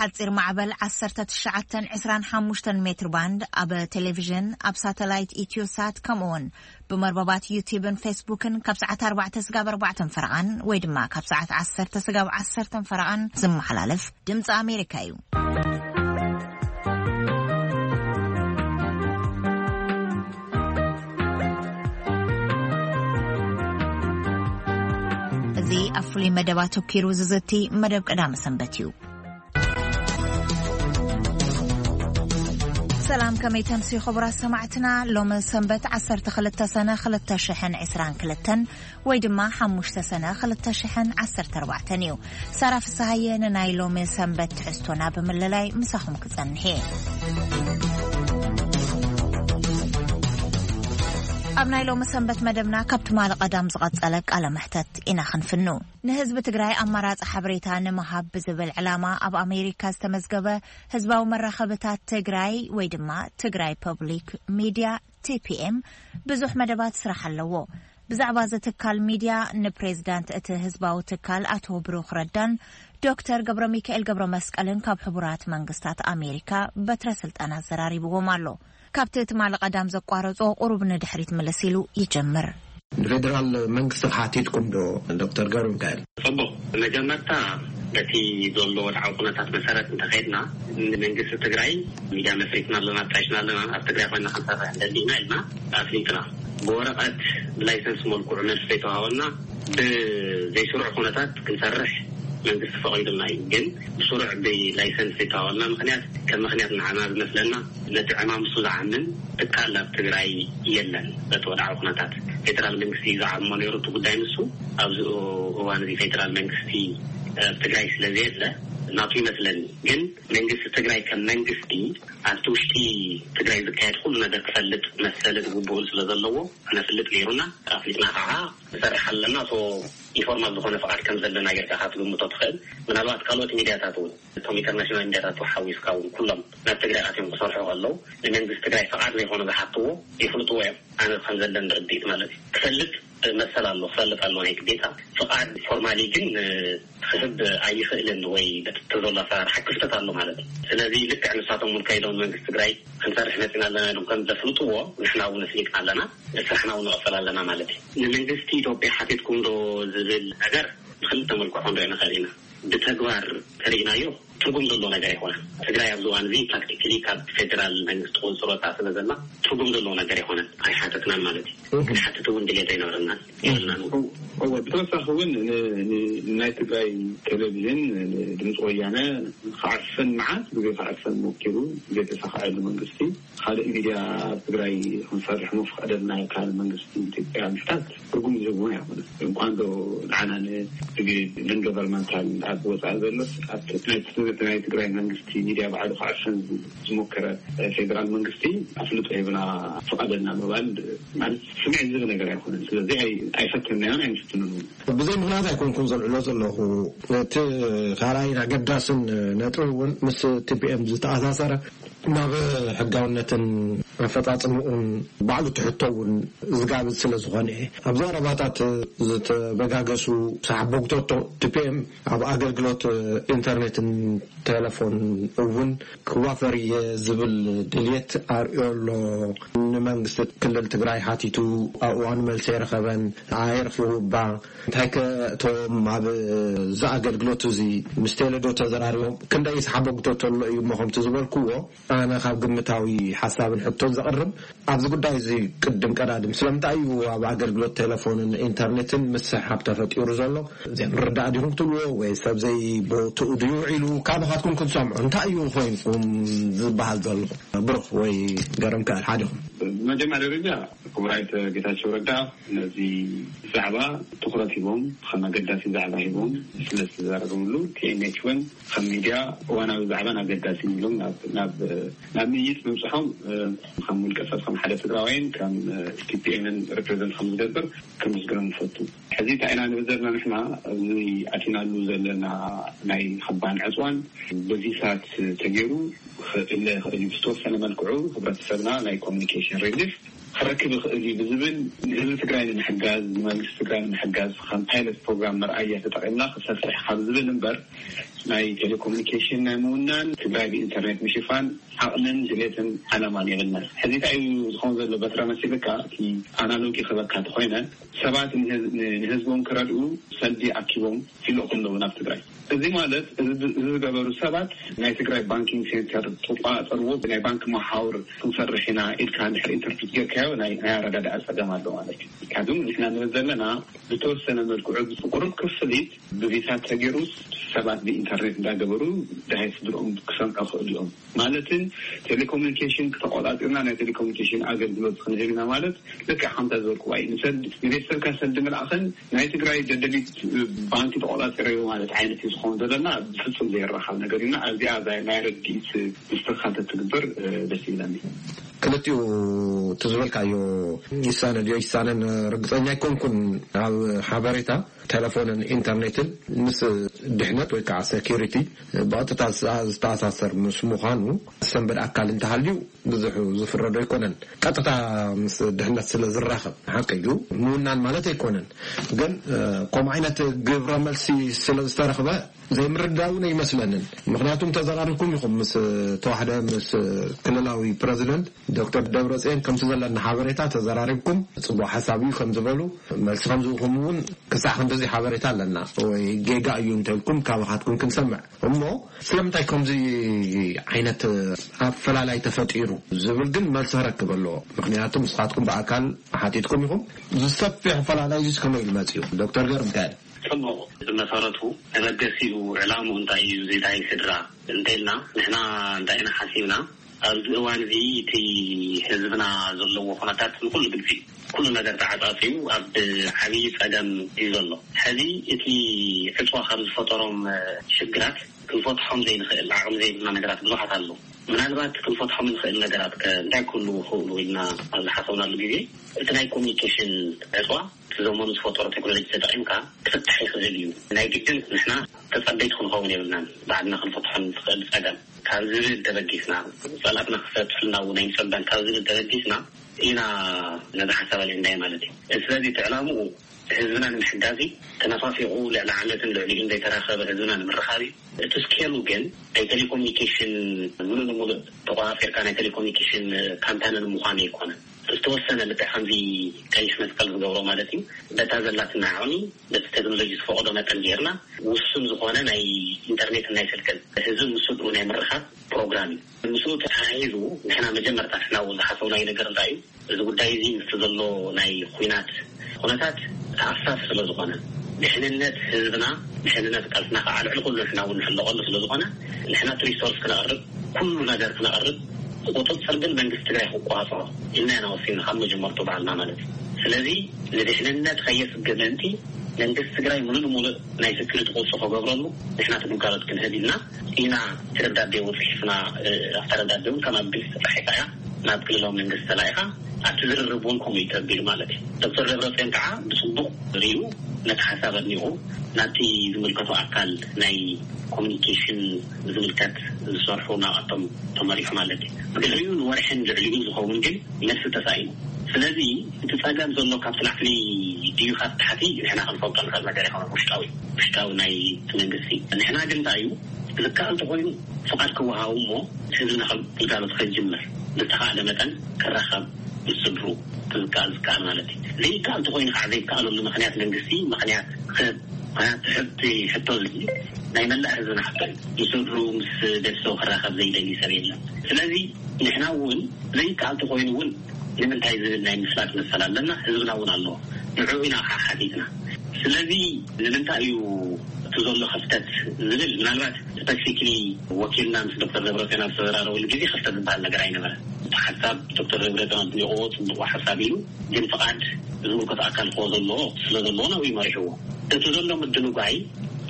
ሓጺር ማዕበል ዓሰርተ ትሽዓተ ዕስራን ሓሙሽተን ሜትር ባንድ፣ ኣብ ቴሌቪዥን፣ ኣብ ሳተላይት ኢትዮሳት፣ ከምኡውን ብመርበባት ዩቲብን ፌስቡክን ካብ ሰዓት ኣርባዕተ ስጋብ ኣርባዕተን ፈረቓን ወይ ድማ ካብ ሰዓት ዓሰርተ ስጋብ ዓሰርተን ፈረቓን ዝመሓላለፍ ድምፂ ኣሜሪካ እዩ። እዚ ኣብ ፍሉይ መደብ ኣተኲሩ ዝዝቲ መደብ ቀዳመ ሰንበት እዩ። ሰላም፣ ከመይ ተምሲ ክቡራት ሰማዕትና? ሎሚ ሰንበት ዓሰርተ ክልተ ሰነ ክልተ ሽሕን ዕስራን ክልተን ወይ ድማ ሓሙሽተ ሰነ ክልተ ሽሕን ዓሰርተ ኣርባዕተን እዩ። ሳራ ፍስሃየ ንናይ ሎሚ ሰንበት ትሕዝቶና ብምልላይ ምሳኹም ክጸንሕ እየ። ኣብ ናይ ሎሚ ሰንበት መደብና ካብ ትማሊ ቀዳም ዝቐጸለ ቃለ መሕተት ኢና ክንፍኑ። ንህዝቢ ትግራይ ኣማራጺ ሓበሬታ ንምሃብ ብዝብል ዕላማ ኣብ ኣሜሪካ ዝተመዝገበ ህዝባዊ መራኸብታት ትግራይ ወይ ድማ ትግራይ ፐብሊክ ሚድያ፣ ቲ ፒ ኤም፣ ብዙሕ መደባት ስራሕ ኣለዎ። ብዛዕባ እዚ ትካል ሚድያ ንፕሬዝዳንት እቲ ህዝባዊ ትካል ኣቶ ብሩኽ ረዳን ዶክተር ገብረ ሚካኤል ገብረ መስቀልን ካብ ሕቡራት መንግስታት ኣሜሪካ በትረ ስልጣን ኣዘራሪብዎም ኣሎ። ካብቲ ትማሊ ቀዳም ዘቋረጾ ቁሩብ ንድሕሪት ምልስ ኢሉ ይጀምር። ንፌደራል መንግስቲ ሓቲትኩም ዶ ዶክተር ገብረ ሚካኤል? ጽቡቕ። መጀመርታ በቲ ዘሎ ወድዓዊ ኩነታት መሰረት እንተኸድና፣ ንመንግስቲ ትግራይ ሚድያ መስሪትና ኣለና፣ ኣጣይሽና ኣለና፣ ኣብ ትግራይ ኮይና ክንሰርሕ እንደሊና ኢልና ኣፍሊጥና። ብወረቐት ብላይሰንስ መልክዑ መልሲ ዘይተዋሃበና፣ ብዘይስሩዕ ኩነታት ክንሰርሕ መንግስቲ ፈቒዱልና እዩ። ግን ብስሩዕ ብላይሰንስ ዘይተዋሃበና ምኽንያት ከም ምኽንያት ንዓና ዝመስለና፣ ነቲ ዕማም እሱ ዝዓምን ትካል ኣብ ትግራይ የለን። በቲ ወድዓዊ ኩነታት ፌደራል መንግስቲ እዩ ዝዓሞ ነይሩ እቲ ጉዳይ። ንሱ ኣብዚ እዋን እዚ ፌደራል መንግስቲ ኣብ ትግራይ ስለ ዘየለ ናቱ ይመስለኒ። ግን መንግስቲ ትግራይ ከም መንግስቲ ኣብቲ ውሽጢ ትግራይ ዝካየድ ኩሉ ነገር ክፈልጥ መሰልን ግቡእን ስለ ዘለዎ ክነፍልጥ ነይሩና። ኣፍሊጥና ከዓ ንሰርሕ ኣለና። እቶ ኢንፎርማል ዝኾነ ፍቓድ ከም ዘለና ጌርካ ክትግምቶ ትኽእል። ምናልባት ካልኦት ሚድያታት እውን፣ እቶም ኢንተርናሽናል ሚድያታት ሓዊስካ እውን፣ ኩሎም ናብ ትግራይ ኣትዮም ክሰርሑ ከለዉ ንመንግስቲ ትግራይ ፍቓድ ዘይኮነ ዝሓትዎ ይፍልጥዎ እዮም። ኣነ ከም ዘለኒ ርድኢት ማለት እዩ። ክፈልጥ መሰል ኣሎ፣ ክፈልጥ ኣሎ ናይ ግዴታ። ፍቓድ ፎርማሊ ግን ክህብ ኣይኽእልን ወይ በቲ ዘሎ ኣሰራርሓ ክፍተት ኣሎ ማለት እዩ። ስለዚ ልክዕ ንሳቶም እውን ከይዶም መንግስቲ ትግራይ ክንሰርሕ መፂና ኣለና ኢሎም ከም ዘፍልጥዎ ንሕና እውን ኣፍሊጥና ኣለና። ስራሕና እውን ንቐፅል ኣለና ማለት እዩ። ንመንግስቲ ኢትዮጵያ ሓቲትኩም ዶ ዝብል ነገር ብክልተ መልክዑ ክንሪኦ ንኽእል ኢና። ብተግባር ተሪኢናዮ ትርጉም ዘለዎ ነገር ኣይኮነን። ትግራይ ኣብዚ እዋን እዚ ፕራክቲካሊ ካብ ፌደራል መንግስቲ ቁፅፅር ወፃእ ስለ ዘላ ትርጉም ዘለዎ ነገር ኣይኮነን። ኣይሓተትናን ማለት እዩ። ክንሓትት እውን ድሌት ኣይነበረናን የብልናን እውን። እወ፣ ብተወሳኺ እውን ን-፣ ን-፣ ናይ ትግራይ ቴሌቪዥን፣ ድምፂ ወያነ ክዓፍን፣ መዓት ግዜ ክዓፍን ሞኪሩ፣ ዘይተሳኽዐሉ መንግስቲ፣ ካልእ ሚድያ ኣብ ትግራይ ክንሰርሕ ምፍቀደልና ካብ መንግስቲ ኢትዮጵያ ምሕታት ትርጉም ዝህብ እውን ኣይኮነን። እንኳን ዶ ንዓና ን-፣ ን-፣ ኖን ገቨርንመንታል ኣብ ወፃኢ ዘሎስ ኣብቲ ናይ፣ ናይ ትግራይ መንግስቲ ሚድያ ባዕሉ ክዓፍን ዝሞከረ ፌደራል መንግስቲ ኣፍልጦ ሂብና ፍቀደልና ምባል ማለት ስምዒት ዝህብ ነገር ኣይኮነን። ስለዚ ኣይ-፣ ኣይፈተንናዮን ኣይንፍትንን እውን። ብዘይ ምኽንያት ኣይኮንኩን ዘልዕሎ ዘለኹ። እቲ ካልኣይን ኣገዳስን ነጥቢ እውን ምስ ቲ ፒ ኤም ዝተኣሳሰረ ናብ ሕጋውነትን ኣፈጻጽምኡን ባዕሉ ትሕቶ እውን ዝጋብዝ ስለ ዝኾነ፣ ኣብ ዘረባታት ዝተበጋገሱ ሰሓቦግቶቶ ቲ ፒ ኤም ኣብ ኣገልግሎት ኢንተርኔትን ቴሌፎን እውን ክዋፈር እየ ዝብል ድልየት ኣርእዮ ኣሎ። ንመንግስቲ ክልል ትግራይ ሓቲቱ ኣብ እዋኑ መልሲ ኣይረኸበን፣ ኣይረኺቡ እባ። እንታይ ከ እቶም ኣብ እዚ ኣገልግሎት እዚ ምስ ቴሌዶ ተዘራሪቦም ክንደይ ሰሓቦግቶቶ ኣሎ እዩ እሞ ከምቲ ዝበልክዎ ኣነ ካብ ግምታዊ ሓሳብን ሕቶን ዘቕርብ ኣብዚ ጉዳይ እዚ ቅድም ቀዳድም ስለምንታይ እዩ ኣብ ኣገልግሎት ቴሌፎንን ኢንተርኔትን ምስሕሓብ ተፈጢሩ ዘሎ? ዘይምርዳእ ዲኹም ክትብልዎ ወይ ሰብ ዘይቦትኡ ድዩ ውዒሉ? ካባኻትኩም ክንሰምዖ እንታይ እዩ ኮይንኩም ዝበሃል ዘሎ? ብሩኽ ወይ ገረም ከኣል ሓዲኹም። ብመጀመርያ ደረጃ ክቡር ኣይተ ጌታቸው ረዳ ነዚ ዛዕባ ትኹረት ሂቦም ከም ኣገዳሲ ዛዕባ ሂቦም ስለ ዝተዛረበሉ ቲ ኤን ኤች እውን ከም ሚድያ እዋናዊ ዛዕባን ኣገዳሲ ኢሎም ናብ፣ ናብ፣ ናብ ምይይጥ ምብፅሖም፣ እ፣ ከም ውልቀ ሰብ ከም ሓደ ትግራዋይን ከም፣ እ፣ ቲ ፒ ኤምን ሪፕሬዘንት ከም ዝገብር ከመስግኖም ንፈቱ። ሕዚ እንታይ ኢና ንብል ዘለና ንሕና ኣብዚ ኣቲናሉ ዘለና ናይ ክባን ዕፅዋን በዚ ሰዓት ተገይሩ ክእለ ይኽእል እዩ። ብዝተወሰነ መልክዑ ህብረተሰብና ናይ ኮሚኒኬሽን ሪሊፍ ክረክብ ይኽእል እዩ ብዝብል፣ ንህዝቢ ትግራይ ንምሕጋዝ፣ ንመንግስቲ ትግራይ ንምሕጋዝ ከም ፓይለት ፕሮግራም መርኣያ ተጠቒምና ክሰፍሕ ካብ ዝብል እምበር፣ ናይ ቴሌኮሙኒኬሽን ናይ ምውናን፣ ትግራይ ብኢንተርኔት ምሽፋን ዓቕምን ድሌትን ዓላማን የብልናን። ሕዚ እንታይ እዩ ዝኸውን ዘሎ? በትረ መሲልካ እቲ ኣናሎጊ ክበካ እንተኾይነ፣ ሰባት ንህዝ- ንህዝቦም ክረድኡ ሰልዲ ኣኪቦም ይልእኹ ኣለዉ ናብ ትግራይ። እዚ ማለት እዚ እዚ ዝገበሩ ሰባት ናይ ትግራይ ባንኪንግ ሴንተር ትቆፃፀርዎ፣ ናይ ባንክ መሓውር ክንሰርሕ ኢና ኢልካ እንድሕር ኢንተርፕሪት ጌርካዮ ናይ ናይ ኣረዳድኣ ፀገም ኣሎ ማለት እዩ። ምክንያቱም ንሕና ንብል ዘለና ብተወሰነ መልክዑ ብቁሩብ ክፍሊት ብቪዛ ተገይሩስ ሰባት ብኢንተርኔት እንዳገበሩ ደሃይ ስድርኦም ክሰምዑ ክእሉ እዮም። ማለትን ቴሌኮሙኒኬሽን ክተቆፃፂርና ናይ ቴሌኮሙኒኬሽን ኣገልግሎት ክንህብ ኢና ማለት ልክዕ ከምታ ዝበልኩዋ እዩ። ንሰልዲ ንቤተሰብካ ሰልዲ ምልኣኽን ናይ ትግራይ ደደቢት ባንኪ ተቆፃፂረዮ ማለት ዓይነት እዩ ዝኸውን ዘለና። ብፍፁም ዘይራኸብ ነገር እዩና። ኣብዚኣ እዛ ናይ ረድኢት ምስትኽኻል ተትግበር ደስ ይብለኒ። ክልቲኡ እቲ ዝበልካዮ ይሳነ ድዮ ይሳነን ርግፀኛ ኣይኮንኩን። ኣብ ሓበሬታ ቴሌፎንን ኢንተርኔትን ምስ ድሕነት ወይ ከዓ ሴኪሪቲ ብቐጥታ ዝተኣሳሰር ምስ ምዃኑ ሰንበድ ኣካል እንተሃልዩ ብዙሕ ዝፍረዶ ኣይኮነን። ቀጥታ ምስ ድሕነት ስለ ዝራኸብ ሓቂ እዩ ምውናን ማለት ኣይኮነን። ግን ከምኡ ዓይነት ግብረ መልሲ ስለ ዝተረኽበ ዘይምርዳውን ኣይመስለንን። ምክንያቱም ተዘራሪብኩም ኢኹም ምስ ተዋሕደ ምስ ክልላዊ ፕረዚደንት ዶክተር ደብረፅዮን ከምቲ ዘለና ሓበሬታ ተዘራሪብኩም ፅቡቅ ሓሳብ እዩ ከም ዝበሉ መልሲ ከም ዝህኹም እውን ክሳዕ ክንድዚ ሓበሬታ ኣለና። ወይ ጌጋ እዩ እንተልኩም ካባኻትኩም ክንሰምዕ እሞ ስለምንታይ ከምዚ ዓይነት ኣፈላላይ ተፈጢሩ ዝብል ግን መልሲ ክረክብ ኣለዎ። ምክንያቱ ንስኻትኩም ብኣካል ሓቲትኩም ኢኹም። ዝሰፍሕ ኣፈላላይ ዚስ ከመይ ኢሉ መፅኡ? ዶክተር ገብረሚካኤል። ጽቡቕ። ብመሰረቱ መበገሲኡ ዕላምኡ እንታይ እዩ? እዚ ናይ ስድራ እንተልና ንሕና እንታይ ኢና ሓሲብና? ኣብዚ እዋን እዚ እቲ ህዝብና ዘለዎ ኩነታት ንኩሉ ግልጺ እዩ። ኩሉ ነገር ተዓጻጺዩ ኣብ ዓብዪ ጸገም እዩ ዘሎ። ሕዚ እቲ ዕጽዋ ካብ ዝፈጠሮም ሽግራት ክንፈትሖም ዘይንኽእል ዓቕሚ ዘይብልና ነገራት ብዙሓት ኣለዉ። ምናልባት ክንፈትሖም እንኽእል ነገራት ከ እንታይ ክህልዉ ይኽእሉ ኢልና ኣብ ዝሓሰብናሉ ግዜ እቲ ናይ ኮሚኒኬሽን ዕፅዋ እቲ ዘመኑ ዝፈጠሮ ቴክኖሎጂ ተጠቒምካ ክፍታሕ ይኽእል እዩ። ናይ ግድን ንሕና ተጸበይቲ ክንኸውን የብልናን። ባዕልና ክንፈትሖ ንኽእል ጸገም ካብ ዝብል ተበጊስና፣ ጸላእትና ክፈትሑልና እውን ኣይንጸበን ካብ ዝብል ተበጊስና ኢና ነዚ ሓሳብ ኣልዒልናዮ ማለት እዩ። ስለዚ እቲ ዕላምኡ ህዝብና ንምሕጋዝ እዩ። ተነፋፊቑ ልዕሊ ዓመትን ልዕሊኡን ዘይተራኸበ ህዝብና ንምርኻብ እዩ። እቲ ስኬሉ ግን ናይ ቴሌኮሙኒኬሽን ምሉእ ንምሉእ ተቆጻጺርካ ናይ ቴሌኮሙኒኬሽን ካምፓኒ ንምዃን ኣይኮነን። ዝተወሰነ ልክዕ ከምዚ ቀይሕ መስቀል ዝገብሮ ማለት እዩ። በታ ዘላትና ዓቕሚ በቲ ቴክኖሎጂ ዝፈቕዶ መጠን ጌርና ውሱን ዝኾነ ናይ ኢንተርኔትን ናይ ስልክን ህዝቢ ምስ ስድኡ ናይ ምርኻብ ፕሮግራም እዩ። ምስኡ ተተሓሒዙ ንሕና መጀመርታ ንሕና እውን ዝሓሰብናዮ ነገር እንታይ እዩ? እዚ ጉዳይ እዚ ምስቲ ዘሎ ናይ ኲናት ኩነታት ተኣሳሲ ስለ ዝኾነ፣ ድሕንነት ህዝብና፣ ድሕንነት ቃልስና ከዓ ልዕሊ ኩሉ ንሕና እውን ንሕለቐሉ ስለ ዝኾነ፣ ንሕና እቲ ሪሶርስ ክነቕርብ፣ ኩሉ ነገር ክነቕርብ፣ ክቁፅፅር ግን መንግስቲ ትግራይ ክቆፃፀሮ ኢልና ኢና ወሲንና ካብ መጀመርቱ ባዕልና ማለት እዩ። ስለዚ ንድሕንነት ከየስግእ ምእንቲ መንግስቲ ትግራይ ሙሉእ ንሙሉእ ናይ ስክሪቲ ቁፅፅር ክገብረሉ ንሕና እቲ ግልጋሎት ክንህብ ኢልና ኢና እቲ ደብዳቤ እውን ፅሒፍና። ኣብታ ደብዳቤ እውን ከም ኣብ ግልፂ ተፃሒፋ እያ። ናብ ክልላዊ መንግስቲ ተላኢኻ ኣብቲ ዝርርብ እውን ከምኡ እዩ ተቢሉ ማለት እዩ። ዶክተር ደብረፅዮን ከዓ ብፅቡቕ ሪኡ ነቲ ሓሳብ ኣድኒቑ ናብቲ ዝምልከቶ ኣካል ናይ ኮሚኒኬሽን ዝምልከት ዝሰርሑ ናብኣቶም ተመሪሑ ማለት እዩ። ብድሕሪኡ ንወርሕን ልዕሊኡ ዝኸውን ግን መልሲ ተሳኢኑ። ስለዚ እቲ ጸገም ዘሎ ካብቲ ላዕሊ ድዩ ካብ ታሕቲ ንሕና ክንፈልጦ ንኽእል ነገር ኣይኮነን። ውሽጣዊ ውሽጣዊ ናይ እቲ መንግስቲ ንሕና ግን እንታይ እዩ ዝከኣል ተኾይኑ ፍቓድ ክወሃቡ እሞ ህዝብና ከም ግልጋሎት ከጅምር ዝተኻእለ መጠን ክራኸብ ምስ ስድሩ ዝከኣል ዝከኣል ማለት እዩ። ዘይከኣል ተኾይኑ ከዓ ዘይከኣለሉ ምኽንያት መንግስቲ ምኽንያት ክህብ። ምኽንያቱ ሕቲ ሕቶ እዚ ናይ መላእ ህዝብና ሕቶ እዩ። ምስ ስድሩ ምስ ቤተሰቡ ክራኸብ ዘይደሊ ሰብ የለን። ስለዚ ንሕና እውን ዘይከኣል ተኾይኑ እውን ንምንታይ ዝብል ናይ ምፍላጥ መሰል ኣለና። ህዝብና እውን ኣለዎ። ንዕኡ ኢና ከዓ ሓቲትና። ስለዚ ንምንታይ እዩ እቲ ዘሎ ክፍተት ዝብል ምናልባት ስፐሲፊክሊ ወኪልና ምስ ዶክተር ደብረፅዮን ኣብ ዝተዘራረበሉ ግዜ ክፍተት ዝበሃል ነገር ኣይነበረን። እቲ ሓሳብ ዶክተር ደብረፅዮን ኣድኒቕዎ ፅቡቕ ሓሳብ ኢሉ ግን ፍቓድ ዝምልከቶ ኣካል ክዎ ዘለዎ ስለ ዘለዎ ናብኡ መሪሕዎ። እቲ ዘሎ ምድንጓይ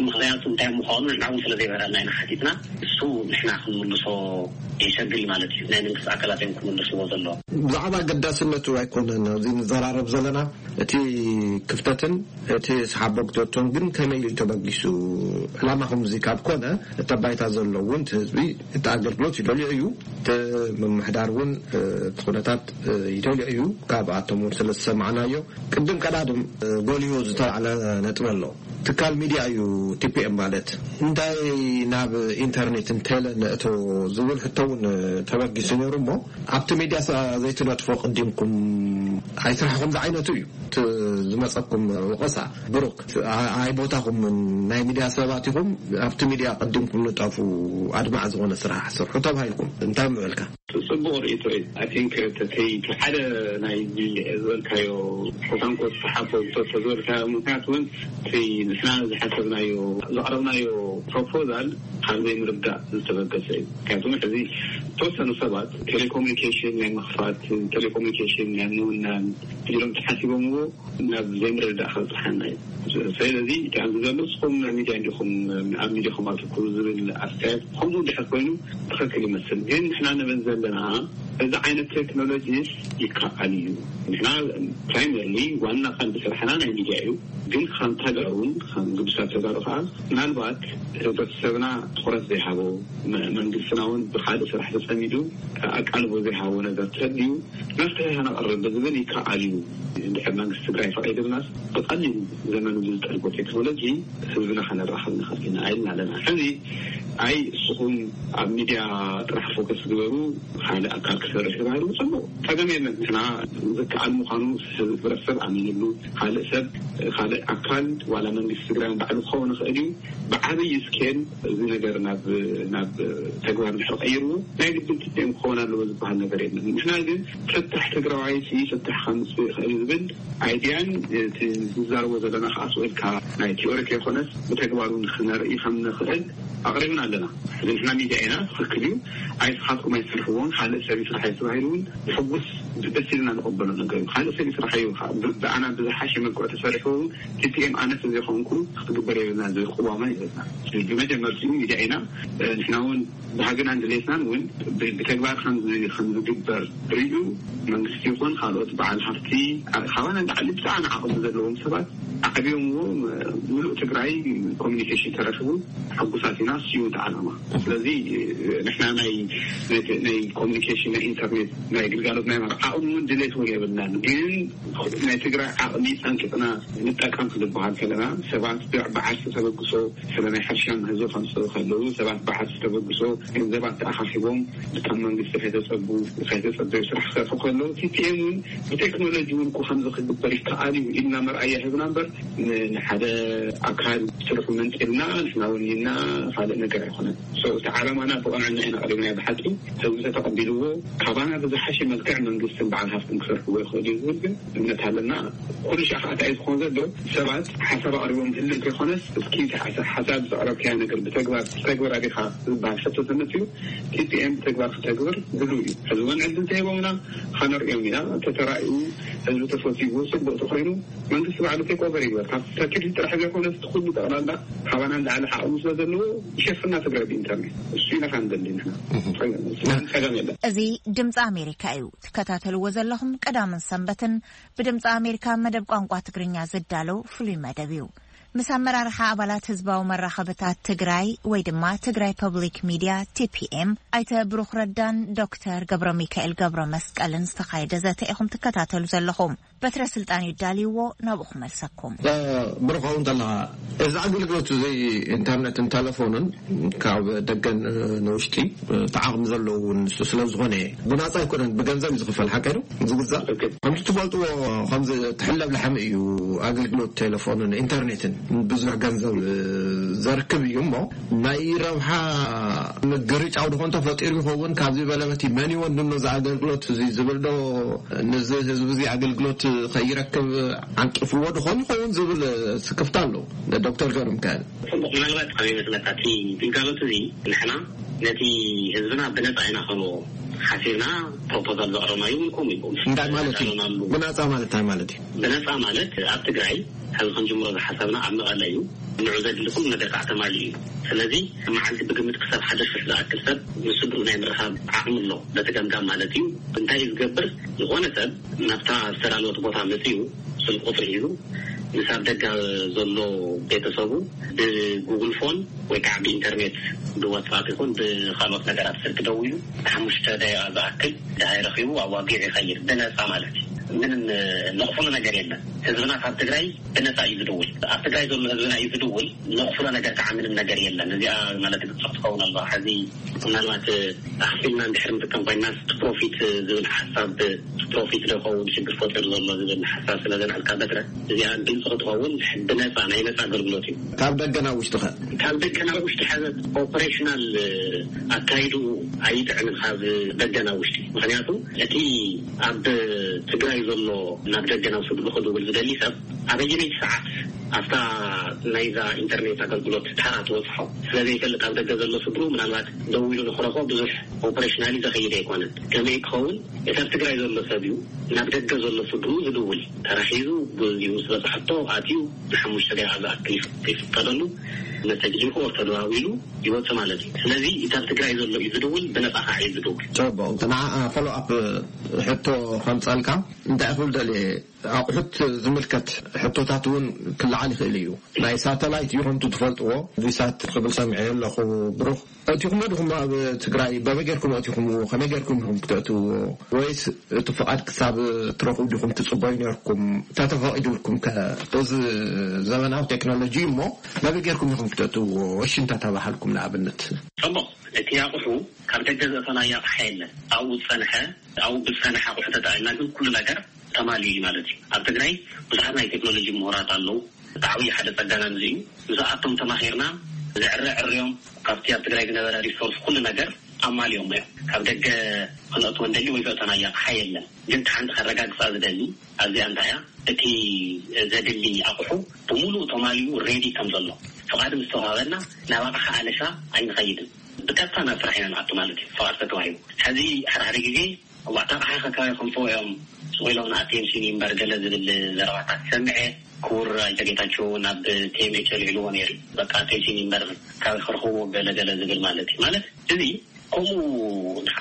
ምኽንያቱ እንታይ ምዃኑ ንሕና እውን ስለ ዘይበረና ኢና ሓቲትና። እሱ ንሕና ክንምልሶ የሸግር ማለት እዩ። ናይ መንግስቲ ኣካላት እዮም ክምልስዎ ዘለዎም። ብዛዕባ ኣገዳስነቱ ኣይኮነን ኣብዚ ንዘራረብ ዘለና። እቲ ክፍተትን እቲ ሰሓቦ ግቶቶን ግን ከመይ ኢሉ ተበጊሱ? ዕላማኹም እዚ ካብ ኮነ፣ እቲ ባይታ ዘሎ እውን እቲ ህዝቢ እቲ ኣገልግሎት ይደልዮ እዩ። እቲ ምምሕዳር እውን እቲ ኩነታት ይደልዮ እዩ። ካብኣቶም እውን ስለ ዝሰማዕናዮ፣ ቅድም ቀዳድም ጎሊሁ ዝተላዕለ ነጥቢ ኣሎ። ትካል ሚድያ እዩ ቲፒኤም ማለት። እንታይ ናብ ኢንተርኔት እንተለ ነእቶ ዝብል ሕቶ እውን ተበጊሱ ነይሩ። እሞ ኣብቲ ሚድያ ዘይትነጥፎ ቅዲምኩም ኣይስራሕኹም ዝዓይነቱ እዩ እቲ ዝመፀኩም ወቐሳ። ብሩክ፣ ኣይ ቦታኹም ናይ ሚድያ ሰባት ኢኹም። ኣብቲ ሚድያ ቅዲምኩም ንጠፉ፣ ኣድማዕ ዝኾነ ስራሕ ስርሑ ተባሂልኩም። እንታይ ምበልካ? ጽቡቕ ርእይቶ እዩ። I think ተተይ ሓደ ናይ ዝበልካዮ ኮታንኮ ዝሓፈ ተዘበልካዮ ምክንያት እውን እቲ ንሕና ዝሓሰብናዮ ዘቕረብናዮ ፕሮፖዛል ካብ ዘይምርዳእ ዝተበገሰ እዩ። ምክንያቱም ሕዚ ዝተወሰኑ ሰባት ቴሌኮሙኒኬሽን ናይ ምኽፋት፣ ቴሌኮሙኒኬሽን ናይ ምውናን ኢሎም ተሓሲቦምዎ ናብ ዘይምርዳእ ከብፅሓና እዩ። ስለዚ እቲ ኣብዚ ዘሎ ንስኹም ሚድያ እንዲኹም ኣብ ሚድያኹም ኣትኩሩ ዝብል ኣስተያየት ከምኡ ድሕር ኮይኑ ትኽክል ይመስል። ግን ንሕና ንብል ዘለና እዚ ዓይነት ቴክኖሎጂስ ይከኣል እዩ። ንሕና ፕራይመርሊ ዋና ቀንዲ ስራሕና ናይ ሚድያ እዩ። ግን ከም ተጋሩን ከም ግዱሳት ተጋሩ ከዓ ምናልባት ህብረተሰብና ትኹረት ዘይሃቦ፣ መ- መንግስትና እውን ብካልእ ስራሕ ተፀሚዱ ኣቃልቦ ዘይሃቦ ነገር ተድዩ መፍትሒ ከነቕርብ ብዝብል ይከኣል እዩ። እንድሕር መንግስቲ ትግራይ ፈቒድልናስ ብቐሊል ዘመኑ ዝጠልቦ ቴክኖሎጂ ህዝብና ከነራኽብ ንኽእል ኢና ኢልና ኣለና። ሕዚ ኣይ እስኹም ኣብ ሚድያ ጥራሕ ፎከስ ግበሩ፣ ካልእ ኣካል ክሰርሕ ተባሂሉ ጽቡቕ፣ ጸገም የለን። ንሕና ዝከኣል ምዃኑ ህብረተሰብ ኣሚንሉ፣ ካልእ ሰብ፣ ካልእ ኣካል ዋላ መንግስቲ ትግራይ ባዕሉ ክኸውን ይኽእል እዩ። ብዓብይ ስኬል እዚ ነገር ናብ ናብ ተግባር ድሕሪ ቀይርዎ ናይ ግድን ቲፒኤም ክኸውን ኣለዎ ዝበሃል ነገር የለን። ንሕና ግን ፍታሕ ትግራዋይ ፍታሕ ከምፅእ ይኽእል ዝብል ኣይድያን እቲ ዝዛረቦ ዘለና ከዓ ስቕ ኢልካ ናይ ቲዮሪ ከይኮነስ ብተግባሩ ንክነርኢ ከም ንኽእል ኣቕሪብና ኣለና። እዚ ንሕና ሚድያ ኢና፣ ትኽክል እዩ። ኣይ ስኻትኩም ኣይትሰርሕዎን ካልእ ሰብ ይስራሕ እዩ ተባሂሉ እውን ብሕጉስ ደስ ኢልና ንቐበሎ ነገር እዩ። ካልእ ሰብ ይስራሕ እዩ። ብኣና ብዝሓሸ መልክዑ ተሰሪሑ እውን ቲፒኤም ኣነ ስለ ዘይኮንኩ ክትግበር የብልና ዝብል ቅዋማ ይዘዝና። ብመጀመርትኡ ሚድያ ኢና። ንሕና እውን ባህግናን ድሌትናን እውን ብተግባር ከም ዝግበር ርእዩ መንግስቲ ይኹን ካልኦት በዓል ሃፍቲ ካባና ንላዕሊ ብጣዕሚ ዓቕሚ ዘለዎም ሰባት ኣዕብዮምዎ ምሉእ ትግራይ ኮሚኒኬሽን ተረኪቡ ሕጉሳት ኢና። እሱ እዩ እቲ ዓላማ። ስለዚ ንሕና ናይ ናይ ኮሚኒኬሽን ናይ ኢንተርኔት ናይ ግልጋሎት ናይ ዓቕሚ እውን ድሌት እውን የብልናን። ግን ናይ ትግራይ ዓቕሚ ፀንቂቕና ንጠቀም ክንበሃል ከለና ሰባት ብዓርሲ ተበግሶ ስለ ናይ ሕርሻ ምህዞ ከምፅኡ ከለዉ ሰባት ብዓርሲ ተበግሶ ገንዘባት ተኣኻኺቦም ብቶም መንግስቲ ከይተፀቡ ከይተፀበዩ ስራሕ ክሰርሑ ከለዉ ቲፒኤም እውን ብቴክኖሎጂ እውን እኮ ከምዚ ክግበር ይከኣል እዩ ኢልና መርኣያ ሂብና እምበር ንሓደ ኣካል ስርሑ መንጢልና ንሕና እውን ኢልና ካልእ ነገር ኣይኮነን። እቲ ዓላማና ብቐንዕና ኢና ቀሪብናዮ። ብሓቂ ህዝቢ ተተቐቢልዎ ካባና ብዝሓሸ መልክዕ መንግስትን በዓል ሃፍትን ክሰርሕዎ ይኽእል እዩ ዝብል ግን እምነት ኣለና። ኩሉ ሻዕ ከዓ እንታይ እዩ ዝኸውን ዘሎ ሰባት ሓሳብ ኣቕሪቦም ህልም ከይኮነስ እስኪ ሓሳብ ዘቕረብካያ ነገር ብተግባር ተግበራ ዲኻ ዝበሃል ሕቶ ተመፅኡ ቲፒኤም ብተግባር ክተግብር ድሉ እዩ። ሕዚ እውን ዕድል ተሂቦምና ከነርእዮም ኢና። ተተራእዩ ህዝቢ ተፈትዎ ፅቡቅ ተኮይኑ መንግስቲ ባዕሉ ቴክ ኦቨር ይግበር። ካብ ሰኪሪቲ ጥራሕ ዘይኮነ እቲ ኩሉ ጠቕላላ ካባና ንላዕሊ ዓቕሚ ስለ ዘለዎ ይሸፍና ትግራይ ብኢንተርኔት እሱ ኢና ካንደሊ ንሕና ጸገም የለን። እዚ ድምፂ ኣሜሪካ እዩ ትከታተልዎ ዘለኹም። ቀዳምን ሰንበትን ብድምፂ ኣሜሪካ መደብ ቋንቋ ትግርኛ ዝዳለው ፍሉይ መደብ እዩ። ምስ ኣመራርሓ ኣባላት ህዝባዊ መራኸብታት ትግራይ ወይ ድማ ትግራይ ፐብሊክ ሚድያ ቲፒኤም ኣይተ ብሩኽ ረዳን ዶክተር ገብረ ሚካኤል ገብረ መስቀልን ዝተኻየደ ዘተ ኢኹም ትከታተሉ ዘለኹም። በትረ ስልጣን እዩ ዳልይዎ፣ ናብኡ ክመልሰኩም። ብሩኻው እንተለኻ እዚ ኣገልግሎት እዚ ኢንተርነትን ተለፎንን ካብ ደገን ንውሽጢ እቲ ዓቕሚ ዘለዎ እውን ንሱ ስለ ዝኾነ ብናፃ ኣይኮነን፣ ብገንዘብ እዩ ዝኽፈል። ሓቀ ዶ ዝግዛእ? ከምቲ ትፈልጥዎ ከምዚ ትሕለብ ላሕሚ እዩ ኣገልግሎት ቴሌፎንን ኢንተርኔትን ብዙሕ ገንዘብ ዘርክብ እዩ። እሞ ናይ ረብሓ ምግርጫው ድኾን ተፈጢሩ ይኸውን ካብዚ በለበቲ መን ይወንኖ እዚ ኣገልግሎት እዚ ዝብል ዶ? ነዚ ህዝቢ እዚ ኣገልግሎት ከይረክብ ዓንቂፍዎ ድኾን ይኸውን ዝብል ስክፍታ ኣሎ። ዶክተር ገብረ ሚካኤል። ጽቡቕ፣ ምናልባት ካብ ይመስለካ እቲ ግልጋሎት እዚ ንሕና ነቲ ህዝብና ብነጻ ኢና ክንቦ ሓሲብና ፕሮፖዛል ዘቕረብና እዩ። ከምኡ እዩ እንታይ ማለት እዩ? ብነጻ ማለት እንታይ ማለት እዩ? ብነጻ ማለት ኣብ ትግራይ ሕዚ ክንጅምሮ ዝሓሰብና ኣብ መቐለ እዩ። ንዑ ዘድሊ ኩሉ ነገር ከዓ ተማሊኡ እዩ። ስለዚ መዓልቲ ብግምት ክሳብ ሓደ ሽሕ ዝኣክል ሰብ ንስድሩ ናይ ምርኻብ ዓቕሚ ኣሎ፣ በቲ ገምጋም ማለት እዩ። እንታይ እዩ ዝገብር? ዝኾነ ሰብ ናብታ ዝተዳለወት ቦታ መፅኡ ስልክ ቁፅሪ ሒዙ ምስ ኣብ ደገ ዘሎ ቤተሰቡ ብጉግል ፎን ወይ ከዓ ብኢንተርኔት፣ ብዋትሳፕ ይኹን ብካልኦት ነገራት ስልክ ደዊሉ ንሓሙሽተ ደቂቃ ዝኣክል ድሃይ ረኺቡ ኣብ ዋጊዕ ይኸይድ፣ ብነፃ ማለት እዩ። ምንም ነቕፍሉ ነገር የለን። ህዝብና ካብ ትግራይ ብነፃ እዩ ዝድውል። ኣብ ትግራይ ዘሎ ህዝብና እዩ ዝድውል። ነቕፍሎ ነገር ከዓ ምንም ነገር የለን። እዚኣ ማለት ግልፂ ክትኸውን ኣለዋ። ሕዚ ምናልባት ኣኽፊልና እንድሕር ንጥቀም ኮይና ፕሮፊት ዝብል ሓሳብ፣ ፕሮፊት ዶ ይኸውን ሽግር ፈጢሩ ዘሎ ዝብል ሓሳብ ስለ ዘልዐልካ በትረ፣ እዚኣ ግልፂ ክትኸውን፣ ብነፃ፣ ናይ ነፃ ኣገልግሎት እዩ። ካብ ደገ ናብ ውሽጢ ኸ? ካብ ደገ ናብ ውሽጢ ሕዚ ኦፐሬሽናል ኣካይዱ ኣይጥዕምን ካብ ደገ ናብ ውሽጢ። ምክንያቱ እቲ ኣብ ትግራይ ዘሎ ናብ ደገ ናብ ስድሩ ክድውል ዝደሊ ሰብ ኣበየነይቲ ሰዓት ኣብታ ናይዛ ኢንተርኔት ኣገልግሎት ታራ ትበፅሖ ስለ ዘይፈልጥ፣ ኣብ ደገ ዘሎ ስድሩ ምናልባት ደዊሉ ንክረኽቦ ብዙሕ ኦፐሬሽናሊ ዘኸይድ ኣይኮነን። ከመይ ክኸውን፣ እቲ ኣብ ትግራይ ዘሎ ሰብ እዩ ናብ ደገ ዘሎ ስድሩ ዝድውል። ተራሒዙ፣ ብዚኡ ምስ በፅሐቶ ኣትዩ ንሓሙሽተ ደቂቃ ዝኣክል ይፍ- ይፍቀደሉ፣ መሰጅ ልኢኹ ኦር ተደዋዊሉ ይወፅእ ማለት እዩ። ስለዚ እቲ ኣብ ትግራይ ዘሎ እዩ ዝድውል፣ ብነፃ ከዓ እዩ ዝድውል። ጽቡቕ። ንዓ ፎሎ ኣፕ ሕቶ ከምጸልካ እንታይ ክብል ደልየ፣ ኣቑሑት ዝምልከት ሕቶታት እውን ክለዓል ይኽእል እዩ። ናይ ሳተላይት እዩ ከምቲ ትፈልጥዎ፣ ቪሳት ክብል ሰሚዐ ኣለኹ። ብሩኽ፣ እቲኹም ዲኹም ኣብ ትግራይ በበይ ጌርኩም ኣቲኹምዎ? ከመይ ጌርኩም ኢኹም ክተእትውዎ? ወይስ እቲ ፍቓድ ክሳብ ትረኽቡ ዲኹም ትጽበዩ ኔርኩም? እንተተፈቒዱልኩም ከ? እዚ ዘመናዊ ቴክኖሎጂ እሞ በበይ ጌርኩም ኢኹም ክተእትውዎ? እሺ እንተተባሃልኩም ንኣብነት። ጽቡቕ። እቲ ኣቑሑ ካብ ደገ ዘእተናዮ ኣቕሓ የለን። ኣብኡ ዝጸንሐ፣ ኣብኡ ብዝጸንሐ ኣቑሑ ተጠቒምና ግን ኩሉ ነገር ተማሊኡ እዩ ማለት እዩ። ኣብ ትግራይ ብዙሓት ናይ ቴክኖሎጂ ምሁራት ኣለዉ። እቲ ዓብዪ ሓደ ጸጋና ንዚ እዩ። ምስኣቶም ተማኺርና ዝዕረ ዕርዮም ካብቲ ኣብ ትግራይ ዝነበረ ሪሶርስ ኩሉ ነገር ኣማልዮም እዮም። ካብ ደገ ክነእትዎ እንደሊ ወይ ዘእተናዮ ኣቕሓ የለን። ግን እቲ ሓንቲ ከረጋግጻ ዝደሊ ኣብዚኣ እንታይ እያ፣ እቲ ዘድሊ ኣቑሑ ብምሉእ ተማሊኡ ሬዲ ከም ዘሎ ፍቓድ ምስ ተዋሃበና ናብ ኣቕሓ ኣለሻ ኣይንኸይድን። ብቀጥታ ናብ ስራሕ ኢና ንኣቱ ማለት እዩ፣ ፍቓድ ተተዋሂቡ። ሕዚ ሓደ ሓደ ግዜ ዋታ ኣቕሓ ከካባቢ ከምፅኡ እዮም ስቕ ኢሎም ንኣቴንሽን እዩ እምበር ገለ ዝብል ዘረባታት ሰምዐ። ክቡር ኣይተ ጌታቸው ናብ ቲኤምኤች ኣልዒልዎ ነይሩ። በቃ ኣቴንሽን እዩ እምበር ካብ ክረኽብዎ ገለ ገለ ዝብል ማለት እዩ። ማለት እዚ ከምኡ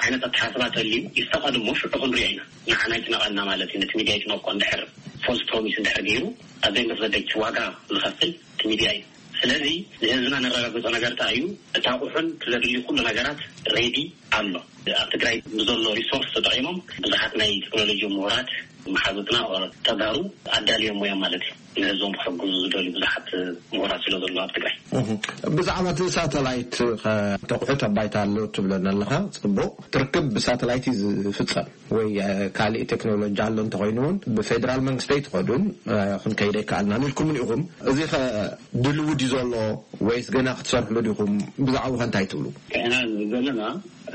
ዓይነት ኣተሓሳስባ ተልዩ ይስተቐድ እሞ ሽዑ ክንሪኦ ኢና። ንዓና ይጭነቐና ማለት እዩ። ነቲ ሚድያ ይጭነቆ እንድሕር ፎልስ ፕሮሚስ እንድሕር ገይሩ ኣብ ዘይመሰደች ዋጋ ዝኸፍል እቲ ሚድያ እዩ። ስለዚ ንህዝብና ነረጋግጾ ነገር እንታይ እዩ? እቲ ኣቑሑን ዘድልዩ ኩሉ ነገራት ሬዲ ኣሎ። ኣብ ትግራይ ብዘሎ ሪሶርስ ተጠቒሞም ብዙሓት ናይ ቴክኖሎጂ ምሁራት መሓዙትና ተጋሩ ኣዳልዮም እዮም ማለት እዩ። ንህዝቦም ክሕግዙ ዝደልዩ ብዙሓት ምሁራት ስለ ዘለዉ ኣብ ትግራይ። እህ፣ ብዛዕባ እቲ ሳተላይት ኸ፣ ተቑሑ ኣብ ባይታ ኣሎ ትብለና ኣለኻ። ጽቡቕ፣ ትርክብ ብሳተላይት እዩ ዝፍጸም ወይ እ፣ ካልእ ቴክኖሎጂ ኣሎ እንተኾይኑ እውን ብፌደራል መንግስቲ ኣይትኸዱን እ፣ ክንከይድ ኣይከኣልናን ኢልኩምን ኢኹም። እዚ ኸ ድልው ድዩ ዘሎ ወይስ ገና ክትሰርሕሉ ዲኹም? ብዛዕባኡ ኸ እንታይ ትብሉ? ከዕና ዘለና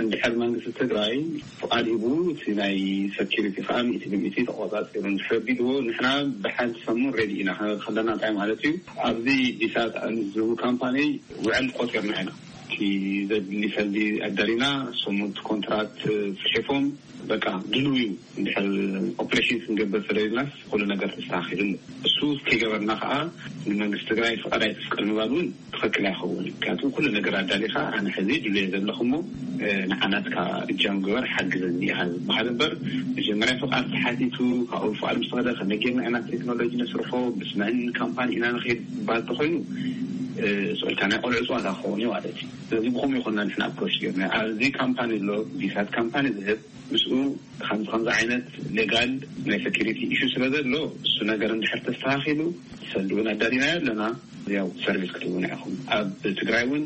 እንድሕር መንግስቲ ትግራይ ፍቓድ ሂቡ እቲ ናይ ሰኪሪቲ ከዓ ሚእቲ ብሚእቲ ተቆፃፂሩ እንድሕር ቢልዎ ንሕና ብሓንቲ ሰሙን ሬዲ ኢና ከለና እንታይ ማለት እዩ? ኣብዚ ዲሳት ዝህቡ ካምፓኒ ውዕል ቆፂርና ኢና። እቲ ዘድሊ ሰልዲ ኣዳሊና ስሙት ኮንትራት ፅሒፎም በቃ ድልው እዩ። እንድሕር ኦፕሬሽን ክንገብር ተደሊናስ ኩሉ ነገር ተስተካኪሉ ኣሎ። እሱ ከይገበርና ከዓ ንመንግስቲ ትግራይ ፍቓድ ኣይተፍቀድ ምባል እውን ትኽክል ኣይኸውን። ምክንያቱ ኩሉ ነገር ኣዳሊኻ ኣነ ሕዚ ድልየ ዘለኹ እሞ ንዓናትካ እጃም ግበር ሓግዘኒ ኢኻ ዝበሃል እምበር መጀመርያ ፍቓድ ተሓቲቱ ካብኡ ፍቓድ ምስ ተኸደ ከመይ ጌርና ኢና ቴክኖሎጂ ነስርሖ ብስመን ካምፓኒ ኢና ንኸይድ ባል ተኾይኑ ስኦልካ ናይ ቆልዑ ፅዋታ ክኸውን እዩ ማለት እዩ። ስለዚ ብኸምኡ ይኮንና ንሕና ኣፕሮች ጌርና ኣብዚ ካምፓኒ ኣሎ ቪሳት ካምፓኒ ዝህብ ምስኡ ከምዚ ከምዚ ዓይነት ሌጋል ናይ ሰኪሪቲ ኢሹ ስለ ዘሎ እሱ ነገር እንድሕር ተስተኻኺሉ ሰልዲ እውን ኣዳሊናዮ ኣለና። ያው ሰርቪስ ክትህቡና ኢኹም ኣብ ትግራይ እውን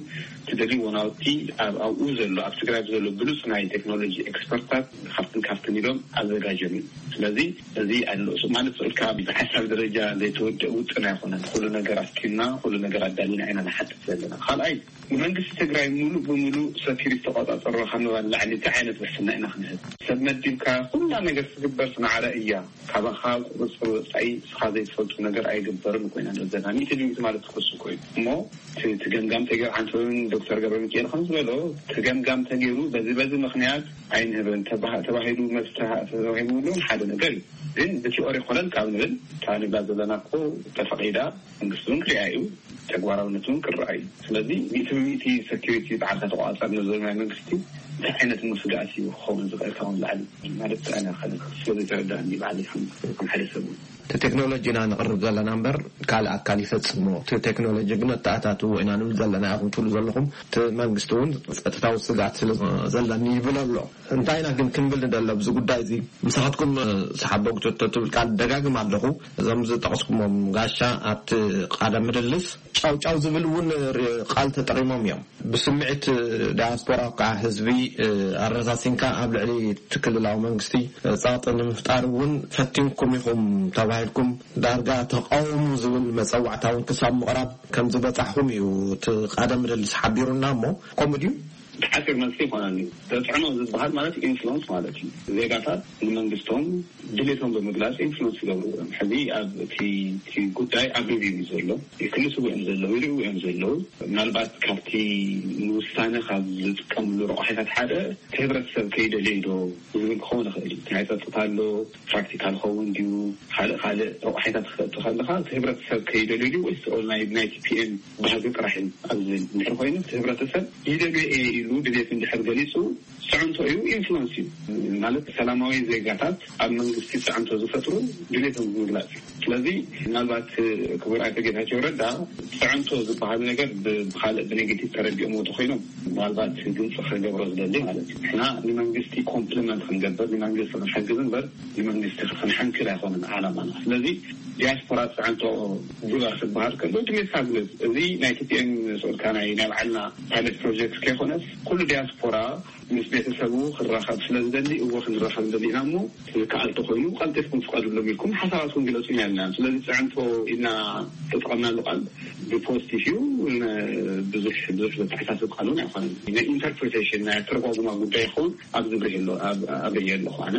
ትደልይዎ ናውቲ ኣብኡ ዘሎ ኣብ ትግራይ ዘሎ ብሉፅ ናይ ቴክኖሎጂ ኤክስፐርታት ካብትን ካብትን ኢሎም ኣዘጋጀም እዩ። ስለዚ እዚ ኣሎ ማለት ስኡልካ ብሓሳብ ደረጃ ዘይተወደእ ውጥን ኣይኮነን። ኩሉ ነገር ኣስኪልና ኩሉ ነገር ኣዳሊና ኢና ንሓትት ዘለና። ካልኣይ መንግስቲ ትግራይ ሙሉእ ብሙሉእ ሰኪሪቲ ተቆፃፀሮ ካብ ምባል ላዕሊ እንታይ ዓይነት ውሕስና ኢና ክንህብ? ሰብ መዲብካ ኩላ ነገር ትግበር ማዕረ እያ። ካባኻ ቁፅፅር ወፃኢ ስኻ ዘይትፈልጡ ነገር ኣይግበርን ኮይና ዘለና ሚእቲ ሚእቲ ማለት ክሱ ኮይኑ እሞ እቲ ገምጋም ተገይሩ፣ ዓንተውን ዶክተር ገብረ ሚካኤል ከም ዝበሎ እቲ ገምጋም ተገይሩ በዚ በዚ ምክንያት ኣይንህብን ተባሂሉ መፍትሒ ተባሂሉ እውን ሓደ ነገር እዩ። ግን ብቲኦሪ ኮነን ካብ ንብል እታ ንብላ ዘለና እኮ ተፈቂዳ መንግስቲ እውን ክሪኣ እዩ፣ ተግባራውነት እውን ክረኣ እዩ። ስለዚ ሚእቲ ብሚእቲ ሰኪሪቲ በዓልካ ተቆፃፀር ንዘሎ ናይ መንግስቲ እንታይ ዓይነት ምስጋኣት እዩ ክኸውን ዝኽእል ካብን ላዕሊ ማለት ኣነ ስለዘይተረዳእኒ ባዕሊ ከም ሓደ ሰብ እውን እቲ ቴክኖሎጂ ኢና ንቕርብ ዘለና እምበር ካልእ ኣካል ይፈፅሞ። እቲ ቴክኖሎጂ ግን ኣተኣታትዎ ኢና ንብል ዘለና ኢኹም ትብሉ ዘለኹም። እቲ መንግስቲ እውን ፀጥታዊ ስግኣት ስለ ዘለኒ ይብል ኣሎ። እንታይ ኢና ግን ክንብል ንደሊ ኣብዚ ጉዳይ እዚ? ምሳኻትኩም ሰሓቦ ክትቶ ትብል ቃል ደጋግም ኣለኹ። እዞም ዝጠቕስኩሞም ጋሻ ኣብቲ ቃለ ምልልስ ጫውጫው ዝብል እውን ቃል ተጠቂሞም እዮም። ብስምዒት ዳያስፖራ ከዓ ህዝቢ ኣረሳሲንካ ኣብ ልዕሊ እቲ ክልላዊ መንግስቲ ፃቕጢ ንምፍጣር እውን ፈቲንኩም ኢኹም ተባሂልኩም ዳርጋ ተቃውሙ ዝብል መፀዋዕታ እውን ክሳብ ምቕራብ ከም ዝበፃሕኹም እዩ እቲ ቃለ ምልልስ ሓቢሩና። እሞ ከምኡ ድዩ? ተሓሲር መልሲ ይኾነኒ። ተፅዕኖ ዝበሃል ማለት ኢንፍሉንስ ማለት እዩ። ዜጋታት ንመንግስቶም ድሌቶም ብምግላፅ ኢንፍሉንስ ይገብሩ እዮም። ሕዚ ኣብ እቲ ጉዳይ ኣብ ሪቪው እዩ ዘሎ። ይክልስዎ እዮም ዘለዉ፣ ይርእዩ እዮም ዘለዉ። ምናልባት ካብቲ ንውሳነ ካብ ዝጥቀምሉ ረቑሒታት ሓደ እቲ ህብረተሰብ ከይደለዩ ዶ ዝብል ክኸውን ይኽእል እዩ። ናይ ፀጥታ ኣሎ፣ ፕራክቲካል ኸውን ድዩ፣ ካልእ ካልእ ረቑሒታት ክትፈጥር ከለኻ እቲ ህብረተሰብ ከይደልዩ ድዩ ወይስ ኦል ናይ ናይ ቲፒኤም ባህጊ ጥራሕ እዩ ኣብ ዝብል እንድሕር ኮይኑ እቲ ህብረተሰብ ይደልዮ እየ ኢሉ ድሌት እንድሕር ገሊፁ ፅዕንቶ እዩ፣ ኢንፍሉንስ እዩ። ማለት ሰላማዊ ዜጋታት ኣብ መንግስቲ ፅዕንቶ ዝፈጥሩ ድሌቶም ብምግላፅ እዩ። ስለዚ ምናልባት ክቡር ኣይተ ጌታቸው ረዳ ፅዕንቶ ዝበሃል ነገር ብካልእ ብኔጌቲቭ ተረዲኦም ወጡ ኮይኖም ምናልባት ግልፂ ክገብሮ ዝደሊ ማለት እዩ። ንሕና ንመንግስቲ ኮምፕሊመንት ክንገብር ንመንግስቲ ክንሕግዝ እምበር ንመንግስቲ ክንሕንክል ኣይኮነን ዓላማና። ስለዚ ዲያስፖራ ፅዕንቶ ግበር ክበሃል ከሎ ድሌትካ ግለፅ። እዚ ናይ ቲፒኤም ስኡልካ ናይ ናይ ባዕልና ፓይለት ፕሮጀክት ከይኮነስ ኩሉ ዲያስፖራ ምስ ቤተሰቡ ክራኸብ ስለ ዝደሊ እወ ክንራኸብ ንደሊ ኢና እሞ ዝከኣል ተኮይኑ ቀልጢፍኩም ፍቀዱሎም ኢልኩም ሓሳባትኩም ግለፁ ኢና ኢልና። ስለዚ ፅዕንቶ ኢልና ተጠቐምናሉ ቃል ብፖዚቲቭ እዩ። ብዙሕ ብዙሕ ዘተሓሳስብ ቃል እውን ኣይኮነን። ናይ ኢንተርፕሪቴሽን ናይ ኣተረጓጉማ ጉዳይ ይኸውን ኣብ ዝብርህ ኣሎ ኣብርየ ኣለኹ ኣነ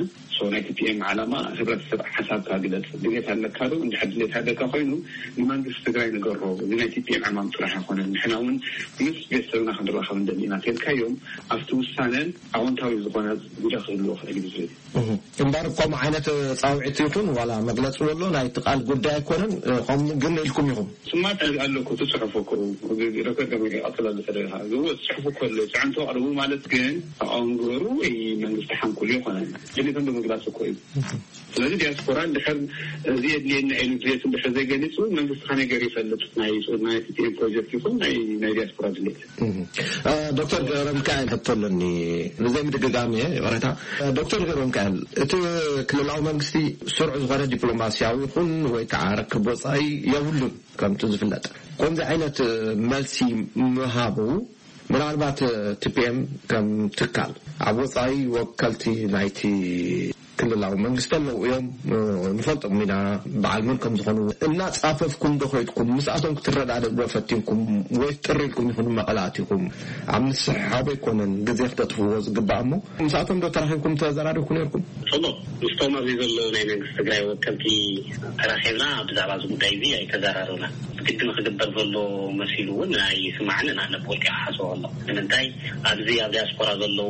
ናይ ቲፒኤም ዓላማ ህብረተሰብ ሓሳብካ ግለፅ ድሌት ኣለካ ዶ እንድሕር ድሌት ኣለካ ኮይኑ ንመንግስቲ ትግራይ ንገሮ። እዚ ናይ ቲፒኤም ዕማም ጥራሕ ኣይኮነን። ንሕና እውን ምስ ቤተሰብና ክንራኸብ እንደሊ ኢና ተልካዮም ኣብቲ ውሳነ ኣወንታዊ ዝኾነ ግደ ክህልዎ ክእል እዩ ዝብል። እምበር ከምኡ ዓይነት ፃውዒት ይኹን ዋላ መግለፂ ወሎ ናይ ትቃል ጉዳይ ኣይኮነን። ከምኡ ግን ኢልኩም ኢኹም። ስማት ኣለኩ ትፅሑፉ ክኡ ዶክተር ገመ ቀፅለሉ ተደኻ ዝዎ ትፅሑፉ ከሎ ፅዕንቶ ኣቕርቡ ማለት ግን ተቃውም ግበሩ ወይ መንግስቲ ሓንኩሉ ይኮነ ድሌቶም ብምግላፅ እኮ እዩ። ስለዚ ዲያስፖራ እንድሕር እዚ የድልየና ኢሉ ድሌት እንድሕር ዘይገሊፁ መንግስቲ ከመይ ገይሩ ይፈልጥ ናይ ናይ ቲፒኤም ፕሮጀክት ይኹን ናይ ናይ ዲያስፖራ ድሌት። ዶክተር ገብረሚካኤል ሕቶ ኣለኒ። ንዘይ ምድግጋም እየ ይቕሬታ። ዶክተር ገብረሚካኤል እቲ ክልላዊ መንግስቲ ስሩዕ ዝኾነ ዲፕሎማሲያዊ ይኹን ወይ ከዓ ርክብ ወፃኢ የብሉን ከምቲ ዝፍለጥ። ከምዚ ዓይነት መልሲ ምሃቡ ምናልባት ቲፒኤም ከም ትካል ኣብ ወፃኢ ወከልቲ ናይቲ ክልላዊ መንግስቲ ኣለዉ እዮም። ንፈልጦም ኢና በዓል መን ከም ዝኾኑ። እናፃፈፍኩም ዶ ከይድኩም ምስኣቶም ክትረዳደእ ዶ ፈቲንኩም ወይ ጥሪ ኢልኩም ኢኹም መቐለ ኣቲኹም? ኣብ ምስሕሓብ ኣይኮነን ግዜ ክተጥፍዎ ዝግባእ እሞ ምስኣቶም ዶ ተራኺብኩም ተዘራሪብኩ ነይርኩም? ጽቡቕ። ምስቶም ኣብዚ ዘለዉ ናይ መንግስቲ ትግራይ ወከልቲ ተራኺብና ብዛዕባ እዚ ጉዳይ እዚ ኣይተዘራረብናን። ግድን ክግበር ዘሎ መሲሉ እውን ኣይስማዓንን ኣነ ብወልቂ ክሓስቦ ከለኹ። ንምንታይ ኣብዚ ኣብ ዲያስፖራ ዘለዉ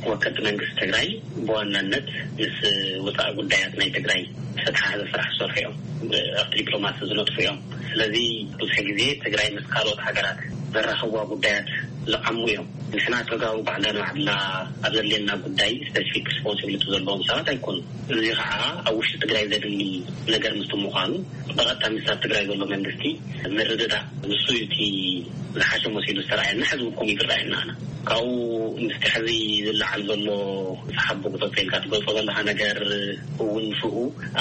ወከልቲ መንግስቲ ትግራይ ብዋናነት ምስ ወፃኢ ጉዳያት ናይ ትግራይ ዝተተሓሓዘ ስራሕ ዝሰርሑ እዮም። ኣብቲ ዲፕሎማሲ ዝነጥፉ እዮም። ስለዚ ብዙሕ ግዜ ትግራይ ምስ ካልኦት ሃገራት ዘራኽብዋ ጉዳያት ዝዓሙ እዮም። ንሕና ተጋሩ ባዕልና ንባዕልና ኣብ ዘድልየና ጉዳይ ስፔሲፊክ ሪስፖንሲቢሊቲ ዘለዎም ሰባት ኣይኮኑን። እዚ ከዓ ኣብ ውሽጢ ትግራይ ዘድሊ ነገር ምስቲ ምዃኑ ብቐጥታ ምስ ኣብ ትግራይ ዘሎ መንግስቲ ምርድዳእ ንሱ እዩ እቲ ዝሓሸ መሲሉ ዝተረኣየና ሕዚ እውን ከምኡ እዩ ዝረኣየና። ኣነ ካብኡ ምስቲ ሕዚ ዝለዓል ዘሎ ሰሓቦ ክተቶ ኢልካ ትገልጾ ዘለኻ ነገር እውን ምስኡ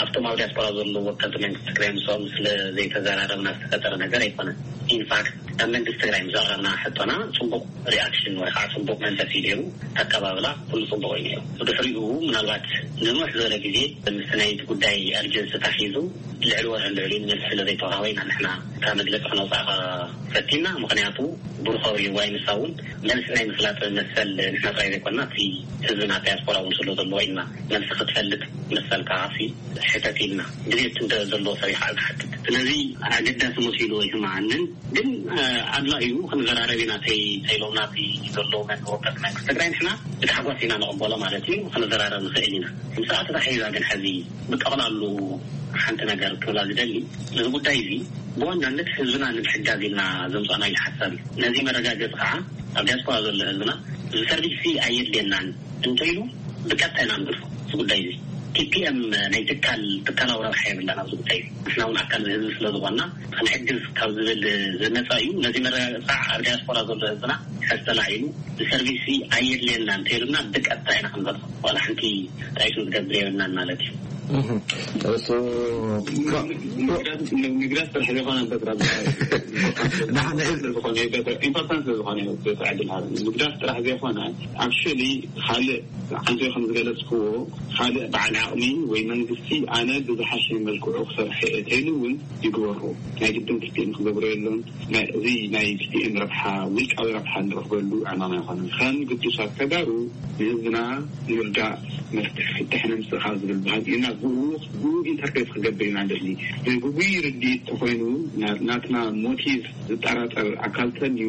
ኣብቶም ኣብ ዲያስፖራ ዘለዉ ወከልቲ መንግስቲ ትግራይ ምስኦም ስለ ዘይተዘራረብና ዝተፈጠረ ነገር ኣይኮነን። ኢንፋክት ካብ መንግስቲ ትግራይ ምስ ኣቕረብና ሕቶና ጽቡቕ ሪኣክሽን ወይ ከዓ ጽቡቕ መንፈስ እዩ ነይሩ። ኣቀባብላ ኩሉ ጽቡቕ እዩ ነይሩ። ብድሕሪኡ ምናልባት ንንውሕ ዝበለ ግዜ ምስቲ ናይቲ ጉዳይ ኣርጀንሲ ተታሒዙ ልዕሊ ወርሒ ልዕሊ መልሲ ስለ ዘይተዋሃበ ኢና ንሕና እታ መግለፂ ክነውፃእ ፈቲና። ምክንያቱ ብሩኸ ወይ ንሳ እውን መልሲ ናይ ምፍላጥ መሰል ንሕና ጥራይ ዘይኮና እቲ ህዝብና ዳያስፖራ እውን ስለ ዘለዎ ኢና መልሲ ክትፈልጥ መሰል ከዓ ሕተት ኢልና ድሌት እንተ ዘለዎ ሰብ ይክዓ ዝሓትት። ስለዚ ኣገዳሲ መሲሉ ኣይስምዓንን። ግን ኣድላ እዩ ክንዘራረብ ኢና። ተይ ተይሎምና እቲ ዘሎ መንወቀስ መንግስቲ ትግራይ ንሕና ብታሕጓስ ኢና ንቕበሎ ማለት እዩ። ክንዘራረብ ንኽእል ኢና። ምስኣ ተታሒዛ ግን ሕዚ ብጠቕላሉ ሓንቲ ነገር ክብላ ዝደሊ፣ እዚ ጉዳይ እዚ ብዋናነት ህዝብና ንምሕጋዝ ኢልና ዘምፃና ኢሉ ሓሳብ እዩ። ነዚ መረጋገፂ ከዓ ኣብ ዲያስፖራ ዘሎ ህዝብና እዚ ሰርቪስ ኣየድልየናን እንተይሉ ብቀጥታ ኢና ንግድፎ። እዚ ጉዳይ እዚ ቲፒኤም ናይ ትካል ትካላዊ ረብሓ የብላን ኣብዚ ጉዳይ እዚ። ንሕና እውን ኣካል ህዝቢ ስለ ዝኾንና ክንሕግዝ ካብ ዝብል ዝመፃ እዩ። ነዚ መረጋገፂ ከዓ ኣብ ዲያስፖራ ዘሎ ህዝብና ሕዚ ተላዒሉ እዚ ሰርቪስ ኣየድልየና እንተይሉና ብቀጥታ ኢና ክንበልዖ። ዋላ ሓንቲ ጣይቱ ዝገብር የብልናን ማለት እዩ። ንግዳት ጥራሕ ዘይኮነ በትራ ንሕና ኢምፖርታንት ስለዝኾነ እዩ። በትራ ኢምፖርታንት ስለዝኾነ እዩ። በትራ ዕድል ሃበ ንግዳት ጥራሕ ዘይኮነ ኣክቹሊ ካልእ ዓንተ ከም ዝገለጽክዎ ካልእ በዓል ዓቕሚ ወይ መንግስቲ ኣነ ብዝሓሸ መልክዑ ክሰርሐ እየ ተይሉ እውን ይግበሩ። ናይ ግድን ክልቲኦም ክገብሩ የለን። እዚ ናይ ክልቲኦም ረብሓ ውልቃዊ ረብሓ ንረኽበሉ ዕማም ኣይኮነን። ከም ግዱሳት ተጋሩ ንህዝብና ንርዳእ መፍትሒ ፍትሒ ንምስእ ካብ ዝብል ባህጊ ኢና ብኡ ብኡ ኢንተርፌስ ክገብር ኢና ንደሊ። ግጉይ ርድኢት ተኮይኑ ናትና ሞቲቭ ዝጠራጠር ኣካል ተልዩ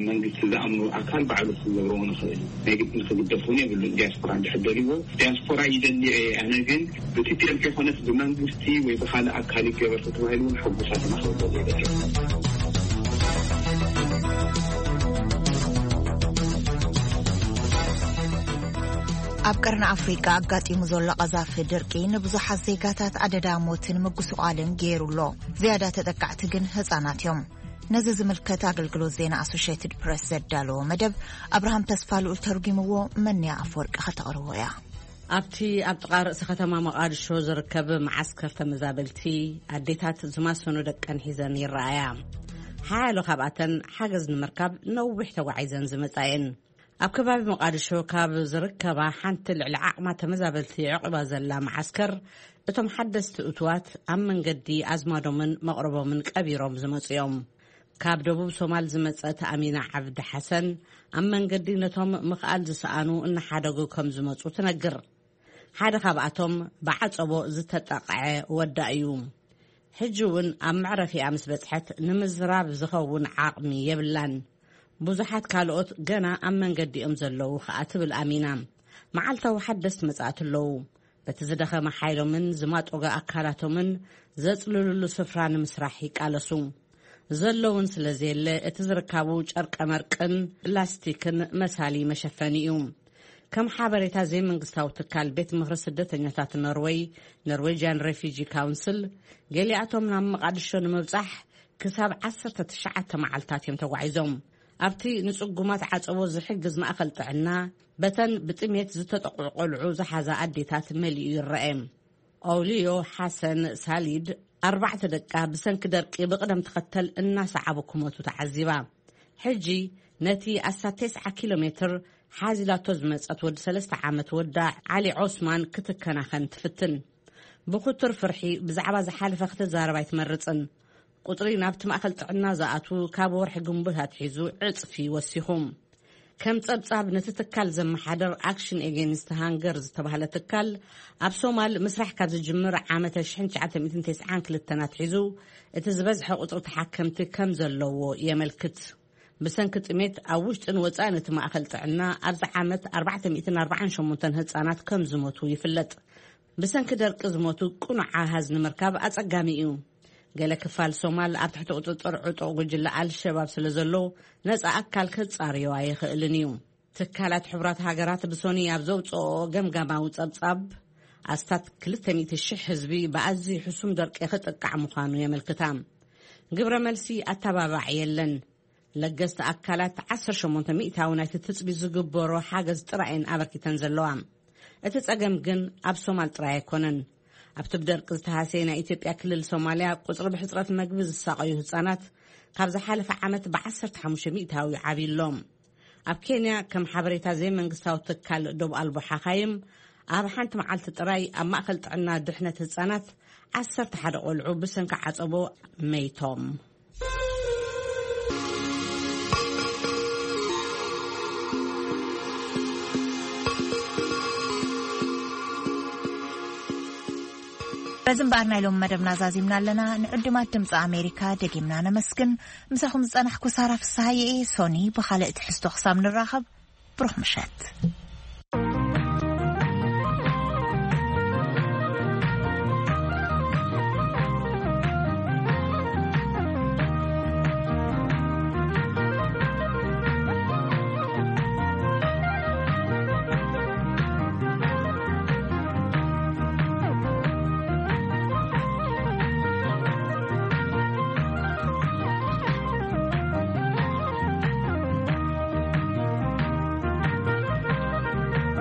መንግስቲ ዝኣምኑ ኣካል ባዕሉ ክገብርዎ ንኽእል ናይ ግድን ክግደፍ እውን የብሉን። ዲያስፖራ እንድሕር ደልዎ ዲያስፖራ ይደሊ እየ ኣነ ግን ብቲፒኤልፒ ኮነስ ብመንግስቲ ወይ ብካልእ ኣካል ይገበር ተባሂሉ እውን ሕጉሳት ኢና ክብል ዘይደሊ። ኣብ ቀርኒ ኣፍሪቃ ኣጋጢሙ ዘሎ ቀዛፊ ድርቂ ንብዙሓት ዜጋታት ኣደዳ ሞትን ምጉስቋልን ገይሩ ኣሎ። ዝያዳ ተጠቃዕቲ ግን ህጻናት እዮም። ነዚ ዝምልከት ኣገልግሎት ዜና ኣሶሽየትድ ፕረስ ዘዳለዎ መደብ ኣብርሃም ተስፋልኡል ተርጒምዎ። መንያ ኣፈወርቂ ከተቕርቦ እያ። ኣብቲ ኣብ ጥቓ ርእሲ ከተማ መቓድሾ ዝርከብ መዓስከር ተመዛበልቲ ኣዴታት ዝማሰኑ ደቀን ሒዘን ይረኣያ። ሓያሎ ካብኣተን ሓገዝ ንምርካብ ነዊሕ ተጓዒዘን ዝመጻ እየን። ኣብ ከባቢ መቓድሾ ካብ ዝርከባ ሓንቲ ልዕሊ ዓቕማ ተመዛበልቲ የዕቑባ ዘላ መዓስከር እቶም ሓደስቲ እትዋት ኣብ መንገዲ ኣዝማዶምን መቕረቦምን ቀቢሮም ዝመጹ እዮም። ካብ ደቡብ ሶማል ዝመጸት ኣሚና ዓብዲ ሓሰን ኣብ መንገዲ ነቶም ምኽኣል ዝሰኣኑ እናሓደጉ ከም ዝመጹ ትነግር። ሓደ ካብኣቶም ብዓጸቦ ዝተጠቕዐ ወዳ እዩ። ሕጂ እውን ኣብ መዕረፊኣ ምስ በጽሐት ንምዝራብ ዝኸውን ዓቕሚ የብላን። ብዙሓት ካልኦት ገና ኣብ መንገዲ እዮም ዘለዉ ከኣ ትብል ኣሚና። መዓልታዊ ሓደስቲ መጻእቲ ኣለዉ። በቲ ዝደኸመ ሓይሎምን ዝማጦገ ኣካላቶምን ዘጽልሉሉ ስፍራ ንምስራሕ ይቃለሱ። ዘለውን ስለ ዘየለ እቲ ዝርካቡ ጨርቀ መርቅን ላስቲክን መሳሊ መሸፈኒ እዩ። ከም ሓበሬታ ዘይመንግስታዊ ትካል ቤት ምኽሪ ስደተኛታት ኖርወይ፣ ኖርዌጅያን ሬፊጂ ካውንስል፣ ገሊኣቶም ናብ መቓድሾ ንምብጻሕ ክሳብ ዓሰርተ ትሽዓተ መዓልታት እዮም ተጓዒዞም። ኣብቲ ንጽጉማት ዓጸቦ ዝሕግዝ ማእከል ጥዕና በተን ብጥሜት ዝተጠቕዑ ቆልዑ ዝሓዛ ኣዴታት መሊኡ ይረአ። ኦውልዮ ሓሰን ሳሊድ ኣርባዕተ ደቃ ብሰንኪ ደርቂ ብቕደም ተኸተል እናሰዓቡ ክሞቱ ተዓዚባ። ሕጂ ነቲ ኣስታት ተስዓ ኪሎ ሜትር ሓዚላቶ ዝመጸት ወዲ ሰለስተ ዓመት ወዳ ዓሊ ዖስማን ክትከናኸን ትፍትን። ብኽቱር ፍርሒ ብዛዕባ ዝሓለፈ ክትዛረብ ኣይትመርጽን። ቁጽሪ ናብቲ ማእከል ጥዕና ዝኣትዉ ካብ ወርሒ ግንቦት ኣትሒዙ ዕጽፊ ወሲኹ። ከም ጸብጻብ ነቲ ትካል ዘመሓደር ኣክሽን ኤጌንስት ሃንገር ዝተባህለ ትካል ኣብ ሶማል ምስራሕ ካብ ዝጅምር ዓመተ ሽሕን ትሽዓተ ሚእትን ተስዓን ክልተን ኣትሒዙ እቲ ዝበዝሐ ቁጽሪ ተሓከምቲ ከም ዘለዎ የመልክት። ብሰንኪ ጥሜት ኣብ ውሽጥን ወጻእን እቲ ማእከል ጥዕና ኣብዚ ዓመት ኣርባዕተ ሚእትን ኣርባዓን ሸሞንተን ህጻናት ከም ዝሞቱ ይፍለጥ። ብሰንኪ ደርቂ ዝሞቱ ቅኑዕ ኣሃዝ ንምርካብ ኣጸጋሚ እዩ። ገለ ክፋል ሶማል ኣብ ትሕቲ ቁጽጽር ዕጡቕ ጉጅለ ኣልሸባብ ስለ ዘሎ ነጻ ኣካል ከጻርዮ ኣይኽእልን እዩ። ትካላት ሕቡራት ሃገራት ብሶኒ ኣብ ዘውጽኦ ገምጋማዊ ጸብጻብ ኣስታት ክልተ ሚእቲ ሽሕ ህዝቢ ብኣዝዩ ሕሱም ደርቂ ክጥቃዕ ምዃኑ የመልክታ። ግብረ መልሲ ኣተባባዕ የለን። ለገስቲ ኣካላት ዓሰርተ ሸሞንተ ሚእታዊ ናይቲ ትጽቢ ዝግበሮ ሓገዝ ጥራይ እየን ኣበርኪተን ዘለዋ። እቲ ጸገም ግን ኣብ ሶማል ጥራይ ኣይኮነን። ኣብቲ ብደርቂ ዝተሃሰየ ናይ ኢትዮጵያ ክልል ሶማልያ ቁጽሪ ብሕጽረት መግቢ ዝሳቐዩ ህጻናት ካብ ዝሓለፈ ዓመት ብ15%ዊ ዓብዩ ኣሎ። ኣብ ኬንያ፣ ከም ሓበሬታ ዘይመንግስታዊ ትካል ዶብ ኣልቦ ሓኻይም፣ ኣብ ሓንቲ መዓልቲ ጥራይ ኣብ ማእከል ጥዕና ድሕነት ህጻናት 11 ቆልዑ ብሰንኪ ዓጸቦ መይቶም። በዚ እምበኣር ናይ ሎሚ መደብና ዛዚምና ኣለና። ንዕዱማት ድምፂ ኣሜሪካ ደጊምና ነመስግን። ምሳኹም ዝጸናሕኩ ሳራ ፍስሃየ እየ። ሶኒ ብኻልእ ትሕዝቶ ክሳብ ንራኸብ፣ ብሩኽ ምሸት።